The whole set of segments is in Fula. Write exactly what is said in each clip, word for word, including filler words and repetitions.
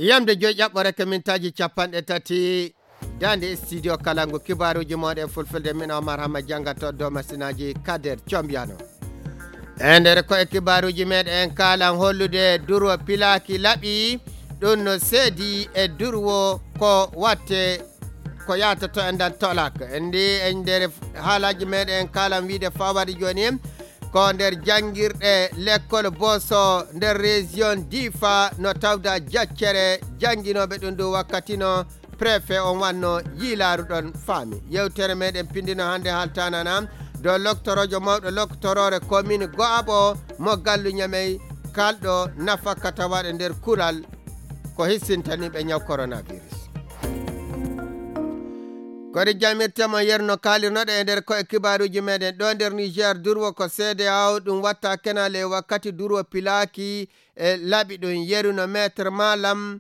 Yamde joyi ƴaɓɓore ko mintaaji capanɗe tati. Daande studio kala ngu kibaaruuji mooɗon e fulfulde, min Omar Hamma janngato dow masinaaji Kader Combiyano. E nder ko e kibaaruuji meɗen en kaalan hollude durwo pilaaki laɓi, ɗum no seedi e durwo ko watte ko yaata to enɗan tolak. Ndi e nder haalaaji meɗen en kaalan wiide fawari jooni ko nder janngirɗe lekkol Boso nder région Difa no tawda jaccere jannginooɓe ɗum ɗum wakkati no préfet on wanno yiilaaru ɗon faami. Yewtere meɗen pindino hannde haaltanana dow loktoroojo mawɗo loktoroore commune Go'aɓo mo gallu Ñamey kalɗo nafakka tawaɗo nder kural ko hissintaniiɓe ñaw coronavirus. Kori jamirtemo yerno kaalirnoɗo e nder ko e kibaaruuji meɗen ɗo nder Niger durwo ko C D A O ɗum watta kenal e wakkati durwo pilaaki e laɓi ɗum yeru no maître Malam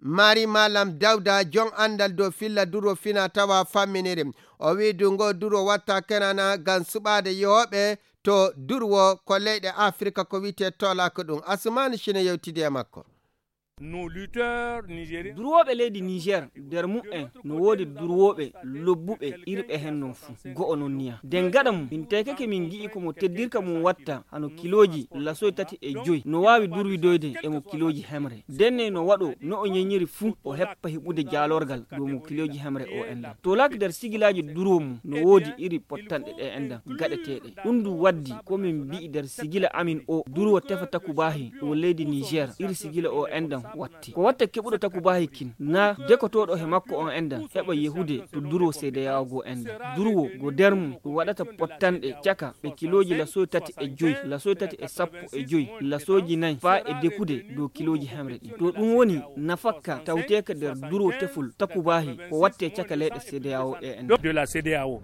Mari Malam Dawda, jon anndal dow filla durwo fina tawa famminiri. O wi'i du ngo durwo watta kenana ngam suɓaade yehooɓe to durwo ko leyɗe Afrika ko wi'etee tolak ɗum. Asumaani Cine yewtidi e makko. Durwooɓe leydi Niger, nder mu'en no woodi durwooɓe lobbuɓe irɓe hen non fuu. Go'o non niya. Den gaɗa mum, min taykake min gi'i ko mo teddirka mum watta hano kilooji lasoy tati e joy. No waawi durwidoyde e mo kilooji hemre. Denne no waɗo no o ñeñiri fuu o heppa heɓude jaalorgal dow mo kilooji hemre o enɗan. Tolak nder sigilaaji durwo mum no woodi iri pottanɗe ɗe enɗan gaɗeteeɗe. Ɗum du waddi ko min mbi'i nder sigila amin o durwo tefa takubaahi ɗo leydi Niger iri sigila o enɗan watta. Ko watta keɓuɗo takubaahi kin, na dekotooɗo he makko on enɗan, heɓa yehude to duro seedeyaawo goo enɗan. Durwo go der mum, ɗum waɗata pottanɗe caka ɓe kilooji lasoy tati e joy, lasoy tati e sappo e joy, lasooji nay, faa e dekude dow kilooji hemre ɗin. To ɗum woni nafakka tawteeka nder duro tefol takubaahi ko wattee caka leyɗe seedeyaawo ɗe enɗan.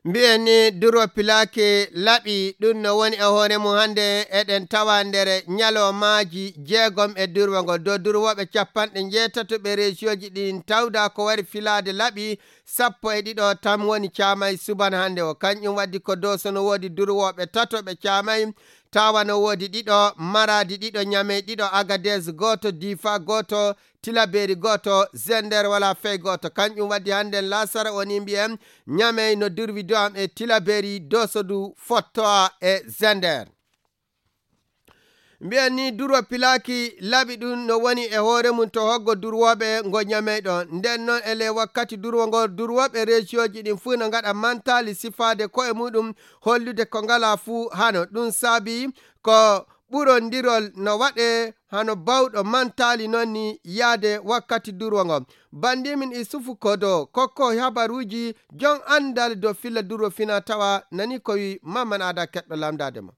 Mbi'en ni duro pilaaki laɓi, ɗum no woni e hoore mum hannde eɗen tawa nder ñalawmaaji jeegom e durwo ngo. Dow durwooɓe capanɗe njeetato ɓe reesiyooji ɗin tawda ko wari filaade laɓi sappo e ɗiɗo tan woni caamay suban hannde o. Kanƴum waddi ko Dooso no woodi durwooɓe tato ɓe caamay, Tawa no woodi ɗiɗo, Maraadi ɗiɗo, Ñamey ɗiɗo, Agades gooto, Difa gooto, Tilaberi gooto, Zender wala fey gooto. Kanƴum waddi hannde laasara woni mbiyen Ñamey no durwi du'am e Tilaberi, Dooso du fottoa e Zender. Mbiyen ni durwo pilaaki laɓi ɗum no woni e hoore mum to hoggo durwooɓe ngo Ñamey ɗon. Nden non e ley wakkati durwo ngo durwooɓe reesiyooji ɗin fuu no ngaɗa mantaali sifaade ko'e muɗum hollude ko ngalaa fuu hano. Ɗum saabi ko ɓurondirol no waɗee hano bawɗo mantaali non ni yaade wakkati durwo ngo. Bandimin Isufu Kodo kokko habaruuji jon anndal dow filla durwo fina tawa nani ko wi Mamman Ada keɗɗo lamndaade mo.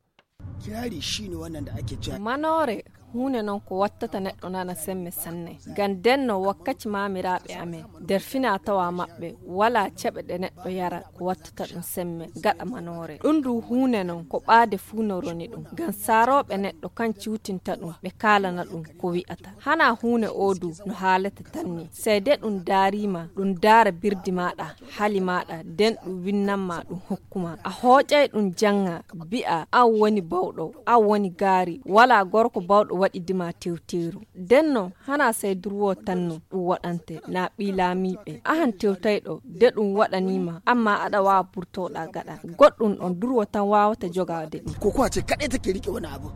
Kirari shi ne wannan da ake cewa. Manoore, huunde non ko wattata neɗɗo nana semme sanne. Ngam ndenno wakkaci maamiraaɓe amen, nder fina tawa maɓɓe, walaa ceɓe ɗe neɗɗo yara ko wattata ɗum semme gaɗa manoore. Ɗum du huunde non ko ɓaade fuu no roni ɗum. Ngam saarooɓe neɗɗo kan ciwtinta ɗum, ɓe kaalana ɗum ko wi'ata. Hana huunde oo du no haalete tan ni. Sey de ɗum daariima, ɗum daara birdi maaɗa, hali maaɗa, nden ɗum winnanma ɗum hokkuma. A hooƴay ɗum jannga, bi'a, an woni bawɗo, an woni gaari, walaa gorko bawɗo waɗidima tewteeru. Ndenno, hana sey durwo tan no ɗum waɗante, na ɓii laamiiɓe. Ahan tewtayɗo, de ɗum waɗaniima, amma aɗa waawa burtoɗa gaɗa. Goɗɗum ɗon durwo tan waawata jogaade ɗum. Kokowa ce kaɗai take riƙe wani abu.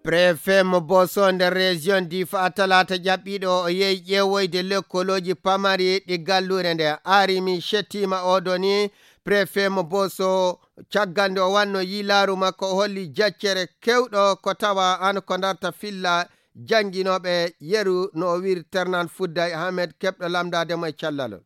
Préfet mo Boso nder région Difa talaata jaɓɓiiɗo o yehi ƴeewoyde lekkolooji pamari ɗi galluure nde. Arimi Shettima oɗo ni préfet mo Boso caggal nde o wanno yiilaaru makko o holli jaccere kewɗo ko tawa an ko darta filla jannginooɓe yeru no o wiiri Ternan Fudday Ahmed keɓɗo lamndaade mo e callalol.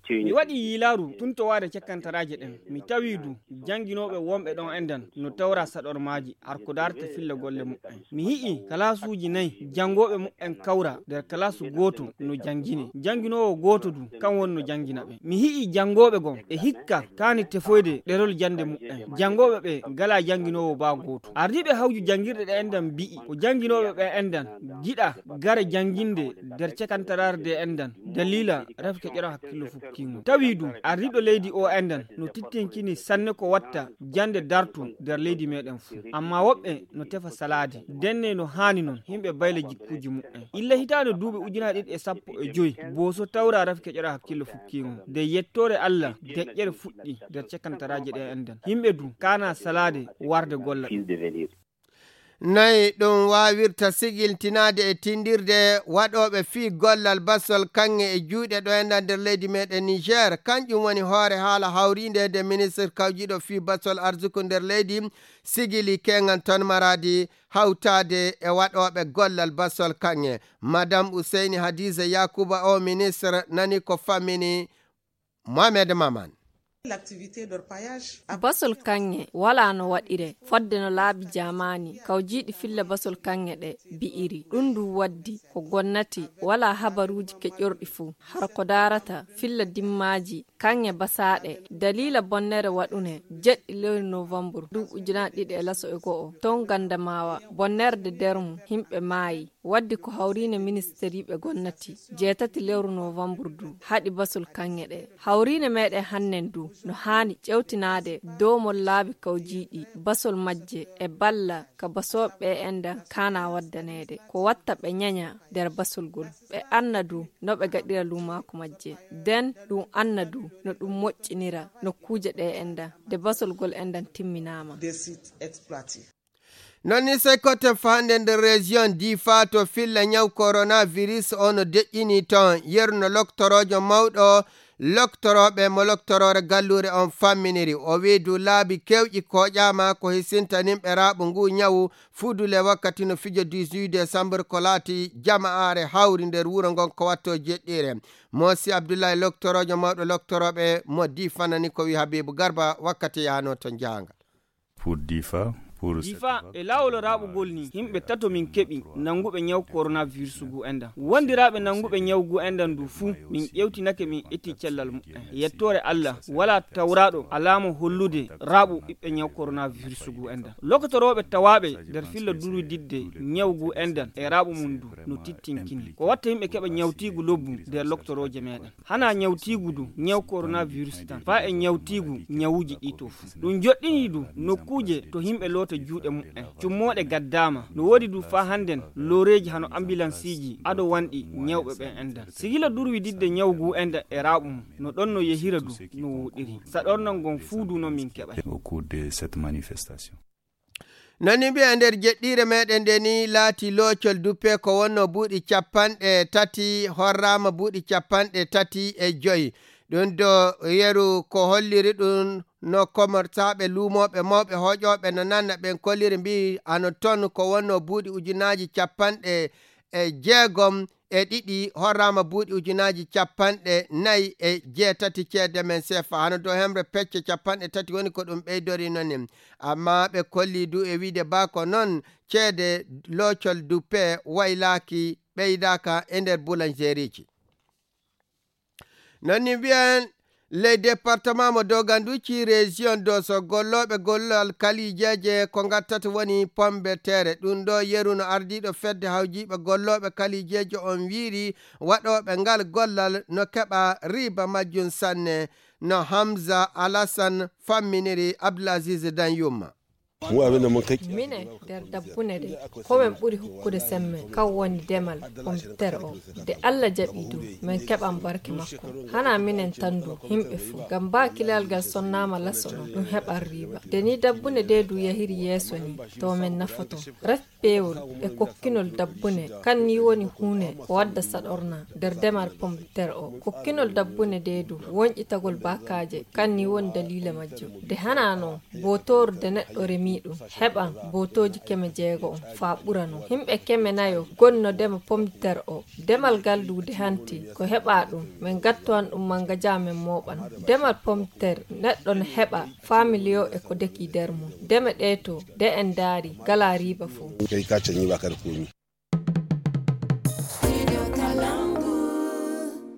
Mi waɗi yiilaaru tun to waade cakkantaraaje ɗen. Mi tawi du jannginooɓe wonɓe ɗon enɗan no tawra saɗormaaji har ko daarta filla golle muɓɓen. Mi hi'i kalaasuuji nayi janngooɓe muɓɓen kawra nder kalaasu gooto no janngine. Jannginoowo gooto du kan woni no janngina ɓe. Mi hi'i janngooɓe gon e hikka kaani tefoyde ɗerol jannde muɓɓen. Janngooɓe ɓe ngalaa jannginoowo baa gooto. Ardiiɓe hawju janngirɗe ɗe enɗan mbi'i ko jannginooɓe ɓe enɗan giɗa gara jannginde nder cakantaraare de enɗan daliila refke ƴero hakkillo. Fukkiimo. Tawi du, ardiiɗo leydi o enɗan no tittinkini sanne ko watta jannde dartu nder leydi meɗen fuu. Amma woɓɓe no tefa salaade. Ndenne no haani non, yimɓe bayla jikkuuji muɓɓen. Illa hitaande duuɓi ujunaaji ɗiɗi e sappo e joy, booso tawra rafi keƴora hakkillo fukkiimo. Nde yettoore Allah, deƴƴere fuɗɗi nder cakantaraaji ɗe enɗan. Yimɓe du, kaana salaade warde gollal. Nayi ɗum waawirta sigiltinaade e tindirde waɗooɓe fii gollal basol kaŋŋe e juuɗe ɗo enɗan nder leydi meɗen Niger. Kanƴum woni hoore haala hawriinde nde ministre kawjiiɗo fii basol arsuku nder leydi sigili keŋan ton maraadi hawtaade e waɗooɓe gollal basol kaŋŋe. Madame Useyni Hadiza Yakuba o ministre nani ko fammini Mohamed Maman. Basol kaŋŋe walaa no waɗire fodde no laabi jaamaani kawjiiɗi filla basol kaŋŋe ɗe bi'iri. Ɗum ndu waddi ko gonnati walaa habaruuji keƴorɗi fuu. Hara ko daarata filla dimmaaji kaŋŋe basaaɗe daliila bonnere waɗune jeɗɗi lewru novembre duuɓi ujunaaji ɗiɗi e laso e go'o toon Gandamawa, bonnerde dermu himɓe maayi. Waddi ko hawriine ministeriiɓe gonnati jeetati lewru novembre du haɗi basol kaŋŋe ɗe. Hawriine meɗen hannen du no haani ƴewtinaade doomol laabi kawjiiɗi basol majje e balla ka basooɓe ɓe enɗan kaana waddaneede. Ko watta ɓe ñaña nder basol gol. Ɓe anna du no ɓe gaɗira luumaaku majje. Den ɗum anna du no ɗum moƴƴinira nokkuuje ɗe enɗan nde basol gol enɗan timminaama. Non ni sey koten fahande nder région Difa to filla ñaw coronavirus o no deƴƴini ton. Yeru no loktoroojo mawɗo loktorooɓe mo loktoroore galluure on famminiri. O wi'i du laabi kewƴi kooƴaama ko hisintaninɓe raaɓu ngu ñawu fudule wakkati no fijo dix-huit décembre ko laati jama'aare hawri nder wuro ngon ko watto jeɗɗiire. Moosi Abdullahi loktoroojo mawɗo loktorooɓe mo Difa nani ko wi'i Habibu Garba wakkati yahanoo to jahangal. Pour Difa, pour Difa, e laawol raɓugol ni, yimɓe tato min keɓi nanguɓe ñaw coronavirus gu enɗan. Wondiraaɓe nanguɓe ñaw gu enɗan du fuu, min ƴewtinake, min eti cellal muɓɓen. Yettoore Allah, walaa tawraaɗo alaama hollude raɓu ɓiɓɓe ñaw coronavirus gu enɗan. Lokotorooɓe tawaaɓe nder filla durwididde ñaw gu enɗan e raɓu mum du no tittinkini. Ko watta yimɓe keɓa ñawtiigu lobbu nder loktorooje meɗen. Hana ñawtiigu du ñaw coronavirus tan, faa e ñawtiigu ñawuuji ɗi to fuu. Ɗum joɗɗinii du nokkuuje to yimɓe loota juuɗe muɓɓen. Cummooɗe gaddaama. No woodi du faa hannden looreeji hano ambulansiiji ado wanɗi ñawɓe ɓen enɗan. Sigila durwididde ñaw gu enɗan e raɓu mum. No ɗon no yehira du no wooɗiri. Saɗornal ngon fuu du no min keɓay. Au cours de cette manifestation. Nani mbiya nder jeɗɗiire meɗen nde ni laati loocol duppe ko wonno buuɗi capanɗe tati, horraama buuɗi capanɗe tati e joy. Ɗum do yeru ko holliri ɗum no commerçaaɓe luumooɓe mawɓe hoƴooɓe no nanna ɓen kolliri mbi'i ano ton ko wonno buuɗi ujunaaji capanɗe e jeegom e ɗiɗi, horraama buuɗi ujunaaji capanɗe nayi e jeetati ceede men sefa. Hano dow hemre pecce capanɗe tati woni ko ɗum ɓeydori non. Amma ɓe kolli du e wiide baa ko non ceede loocol duppe waylaaki ɓeydaaka e nder boulangerieji. Non ni mbiyen ley département mo Doganduci, région Doso, gollooɓe gollal kalijeeje ko ngattata woni pomme de terre. Ɗum ɗo yeru no ardiiɗo fedde hawjiiɓe gollooɓe kalijeeje on wiiri waɗooɓe ngal gollal no keɓa riba majjum sanne, no Hamza Alassane famminiri Abdulaziz Danyuma. Minen nder dabbune ɗe, ko men ɓuri hokkude semme, kan woni demal pompitere o. Nde Alla jaɓi du, men keɓan barke makko. Hana minen tan du, yimɓe fuu. Ngam baa kilal ngal sonnaama laso ɗon, ɗum heɓan riiba. Nde ni dabbune ɗe du yahiri yeeso ni, to men nafoto. Ref peewol e kokkinol dabbune, kan ni woni huune ko wadda saɗorna nder demal pompitere o. Kokkinol dabbune ɗe du, wonƴitagol baakaaje, kan ni woni daliila majjum. Nde hana non, bootooru de neɗɗo remi ɗum, heɓan bootooji keme jeego on faa ɓura non. Yimɓe keme nayo goni no dema pompitere o. Demal ngal du de hanti, ko heɓa ɗum, men ngattowan ɗum mangaja men mooɓan. Demal pompitere, neɗɗo no heɓa faa miliyon e ko deki nder mum. Deme ɗe to, de en ndaari, ngalaa riiba fuu.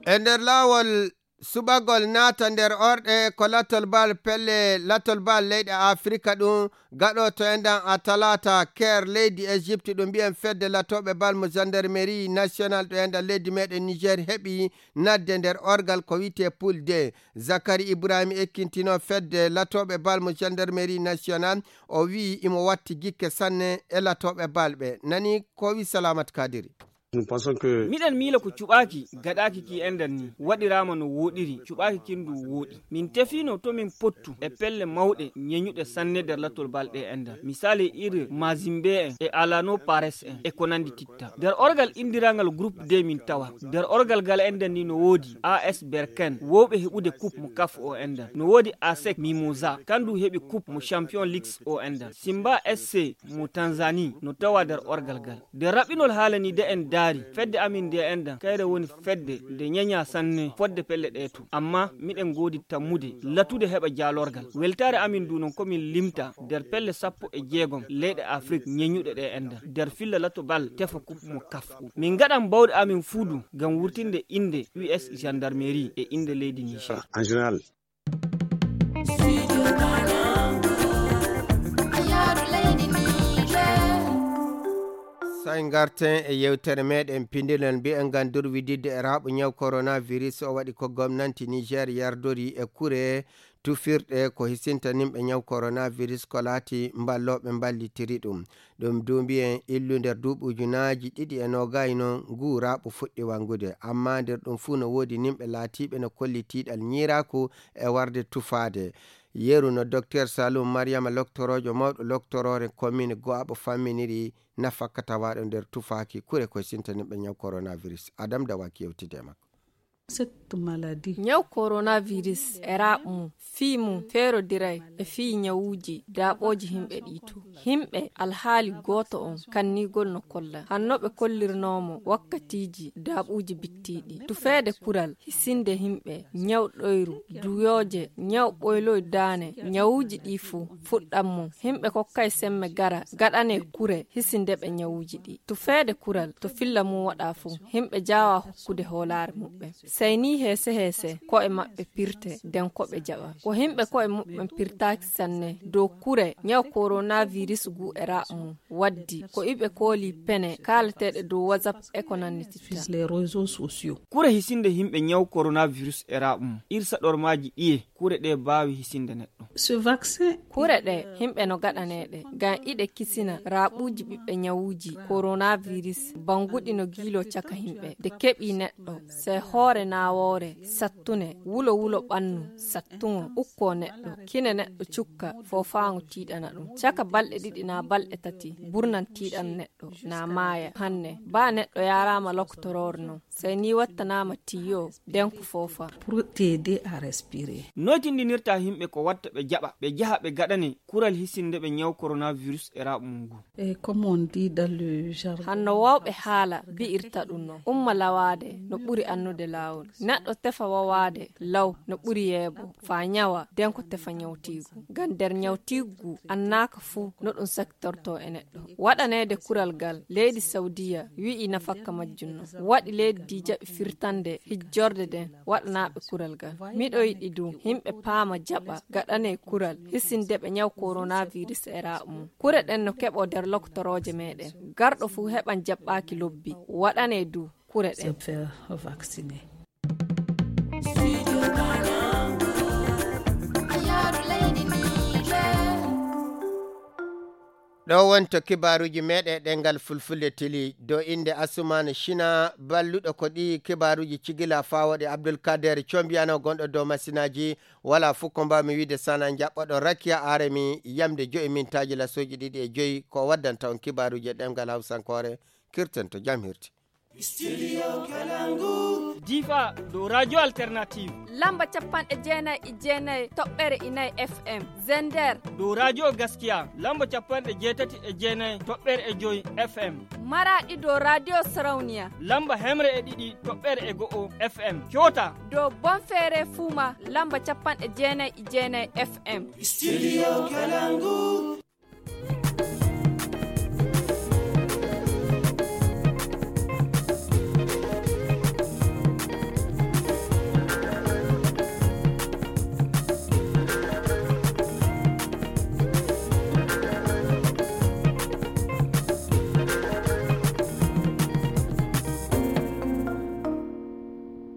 E nder laawol Suɓagol naata nder orɗe ko latol bal pelle, latol bal leyɗe Afrika ɗum gaɗoto enɗan a talata. Ker leydi Egypte ɗum mbiyen fedde latooɓe bal mo gendarmerie national ɗo enɗan leydi meɗen Niger heɓi nadde nder orgal ko wiyte poule D. Zakari Ibrahim ekkintino fedde latooɓe bal mo gendarmerie national, o wi'i imo watti gikke sanne e latooɓe bal ɓe. Nani ko wi Salamat Kadiri. Miɗen miila ko cuɓaaki gaɗaaki ki enɗan ni waɗiraama no wooɗiri, cuɓaaki kin ndu wooɗi. Min tefiino to min pottu e pelle mawɗe ñeñuɗe sanne nder latol balɗe enɗan. Misali iri Mazimbe en e Alano Pares en e ko nandi titta. Nder orgal indirangal groupe D min tawa. Nder orgal gal enɗan ni no woodi A S Berken, wowɓe heɓude coupe mo kaf o enɗan. No woodi A S E C Mimosa, kandu heɓi coupe mo Champion League o enɗan. Simba S C mo Tanzanie no tawa nder orgal gal. Nde raɓɓinol haala ni de en daari, fedde amin nde enɗan, kayre woni fedde nde ñaña sanne fodde pelle ɗe to. Amma miɗen ngoodi tammude, latude heɓa jaalorgal. Weltaare amin ndu non ko min limta nder pelle sappo e jeegom leyɗe Afrik ñeñuɗe ɗe enɗan. Nder filla lato bal tefa kup mo kaf. Min ngaɗan bawɗe amin fuudu ngam wurtinde innde U S gendarmerie e innde leydi Niger. En général, Say ngarten e yewtere meɗen pindinol mbiyen ngam durwididde e raaɓo ñaw coronavirus o waɗi ko gomnanti Niger yardori e kure tufirɗe ko hisinta nimɓe ñaw coronavirus ko laati mballooɓe mballitiri ɗum. Ɗum du mbiyen illu nder duuɓi ujunaaji ɗiɗi e noogay noon ngu raaɓo fuɗɗi wanngude. Amma nder ɗum fuu no woodi nimɓe laatiiɓe no kolli tiiɗal ñiiraaku e warde tufaade. Yeru no Docteur Saloum Mariama loktoroojo mawɗo loktoroore commune Go'aɓo famminiri nafakka tawaaɗo nder tufaaki kure ko sintanimɓe ñaw coronavirus. Adam Dawaki yewtidi e makko. Cette maladie. Ñaw coronavirus e raaɓ mum, fii mum feerodiray e fii ñawuuji daaɓooji himɓe ɗii too. Himɓe alhaali gooto on kannigol no kolla. Hanno ɓe kollirnoomo wakkatiiji daaɓuuji bittiiɗi. Tufeede kural, hisinde himɓe, ñaw ɗoyru, duyooje, ñaw ɓoyloy daane, ñawuuji ɗii fuu fuɗɗan mum. Himɓe kokkay semme gara gaɗanee kure hisinde ɓe ñawuuji ɗii. Tufeede kural to filla mum waɗaa fuu, himɓe jaawaa hokkude hoolaare muɓɓen. Sey nii heese heese ko'e maɓɓe pirte, nden ko ɓe jaɓa. Ko himɓe ko'e muɓɓen pirtaaki sanne dow kure ñaw coronavirus ngu e raaɓ mum waddi, ko iɓe kooli pene kaalateeɗe dow WhatsApp e ko nanni titta. Les réseaux sociaux. Kure hisinde himɓe ñaw coronavirus e raaɓ mum, irsa ɗormaaji ɗiye, kure ɗe baawi hisinde neɗɗo. Ce vaccin. Kure ɗe, himɓe no gaɗaneeɗe, ngam iɗe kisina raaɓuuji ɓiɓɓe ñawuuji coronavirus, banguɗi no giiloo caka himɓe. Nde keɓii neɗɗo, sey hoore naawoore, sattune, wulo wulo ɓannu, sattuŋo, ukkoo neɗɗo, kine neɗɗo cukka, foofaango tiiɗana ɗum. Caka balɗe ɗiɗi naa balɗe tati, burnan tiiɗan neɗɗo, naa maaya. Hanne, baa neɗɗo yaaraama lokotoroore non, sey nii wattanaama tiyo, nden ko foofa. Pour t'aider à respirer. Noytindinirta himɓe ko watta ɓe jaɓa, ɓe jaha ɓe gaɗane kural hisinde ɓe ñaw coronavirus e raaɓ mum ngu. Et comme on dit dans le jargon. Hanno wawɓe haala bi'irta ɗum non. Umma lawaade no ɓuri annude laawol. Neɗɗo tefa wawaade law no ɓuri yeebo. Faa ñawa, nden ko tefa ñawtiigu. Ngam nder ñawtiigu ngu annaaka fuu no ɗum saktorto e neɗɗo. Waɗaneede kural ngal, leydi Sawdiya wi'i nafakka majjum non. Waɗi leydi ndi jaɓi firtande hijjorde nden waɗanaaɓe kural ngal. Miɗo yiɗi du, himɓe paama jaɓa gaɗanee kural hisinde ɓe ñaw coronavirus e raaɓ mum. Kure ɗen no keɓoo nder lokotorooje meɗen. Garɗo fuu heɓan jaɓɓaaki lobbi. Waɗanee du kure ɗen. Se faire vacciner. Ɗo wonto kibaaruuji meɗen ɗengal fulfulde tili dow innde Asumaana Shina, balluɗo ko ɗi kibaaruuji cigila faa waɗi Abdul Kader Combiyano gonɗo dow masinaaji. Wala fuu ko mbaawmi wiide sana njaɓɓoɗo Rakiya Aremi yamde joyi mintaaji lasooji ɗiɗi e joyi ko waddanta on kibaaruuji e ɗemngal Hawsankoore. Kirten to jam hirti. Studio Kalangu. Difa dow Radio Alternative. Lamba capanɗe jeenayi e jeenayi toɓɓere inayi F M. Zender. Dow Radio Gaskiya lamba capanɗe jeetati e jeenayi toɓɓere e joyi F M. Maraɗi dow Radio Sarauniya. Lamba hemre e ɗiɗi toɓɓere e go'o F M. Coota. Dow Bonfere Fuma lamba capanɗe jeenayi e jeenayi F M. Studio Kalangu.